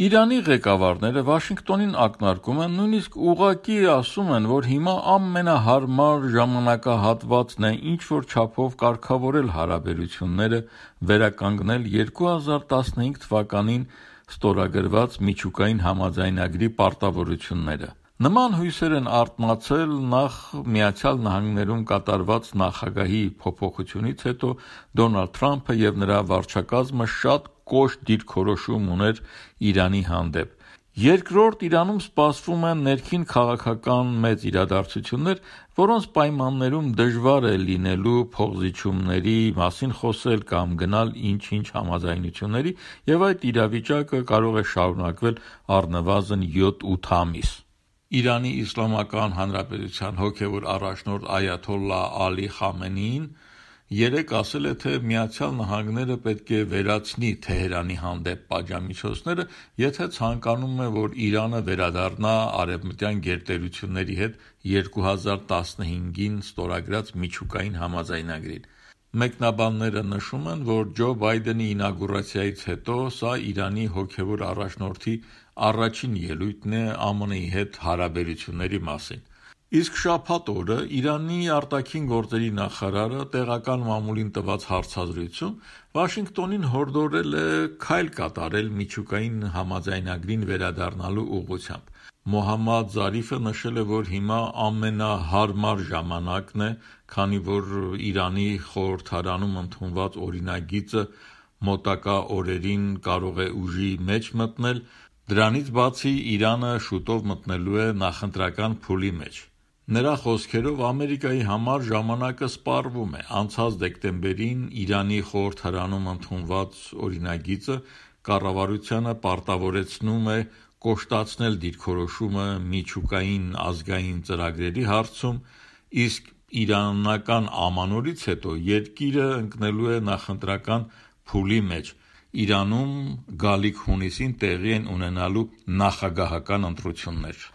Իրանի ղեկավարները Վաշինգտոնին ակնարկում են, նույնիսկ ուղղակի ասում են, որ հիմա ամենահարմար ժամանակահատվածն է ինչ-որ չափով կարգավորել հարաբերությունները, վերականգնել 2015 թվականին ստորագրված միջուկային համաձայնագրի պարտավորությունները։ Նման հույսեր են արթնացել նախ ԱՄՆ-ում կատարված նախագահի փոփոխությունից հետո Դոնալդ Թրամփը և նրա վարչակազմը շատ կոշտ դիրքորոշում ուներ Իրանի հանդեպ։ Երկրորդ, Իրանում սպասվում են ներքին քաղաքական մեծ իրադարձություններ, որոնց պայմաններում դժվար է լինելու փոխզիջումների մասին խոսել կամ գնալ ինչ-ինչ համաձայնությունների, և այդ իրավիճակը կարող է շարունակվել առնվազն 7-8 ամիս։ Իրանի Իսլամական Հանրապետության հոգևոր առաջնորդ Այաթոլլահ Ալի Խամենեին երեկ ասել է, թե ԱՄՆ-ը պետք է վերացնի Թեհրանի հանդեպ պատժամիջոցները, եթե ցանկանում է, որ Իրանը վերադառնա արևմտյան գերտերությունների հետ 2015-ին ստորագրած միջուկային համաձայնագրին։ Մեկնաբանները նշում են, որ Ջո Բայդենի ինագուրացիայից հետո սա Իրանի հոգևոր առաջնորդի առաջին ելույթն է ԱՄՆ-ի հետ հարաբերությունների մասին։ Իսկ շաբաթ օրը Իրանի արտաքին գործերի նախարարը տեղական մամուլին տված հարցազրույցում Վաշինգտոնին հորդորել է քայլ կատարել միջուկային համաձայնագրին վերադառնալու ուղղությամբ։ Մոհամմադ Զարիֆը նշել է, որ հիմա ամենահարմար ժամանակն է, քանի որ Իրանի խորհրդարանում ընդունված օրինագիծը մոտակա օրերին կարող է ուժի մեջ մտնել, դրանից բացի Իրանը շուտով մտնելու է նախընտրական փուլի մեջ։ Նրա խոսքերով Ամերիկայի համար ժամանակը սպառվում է։ Անցած դեկտեմբերին Իրանի խորհրդարանում ընդունված օրինագիծը կառավարությանը պարտավորեցնում է կոշտացնել դիրքորոշումը միջուկային ազգային ծրագրերի հարցում, իսկ իրանական ամանորից հետո երկիրը ընկնելու է նախընտրական փուլի մեջ։ Իրանում գալիք հունիսին տեղի են ունենալու նախագահական ընտրություններ։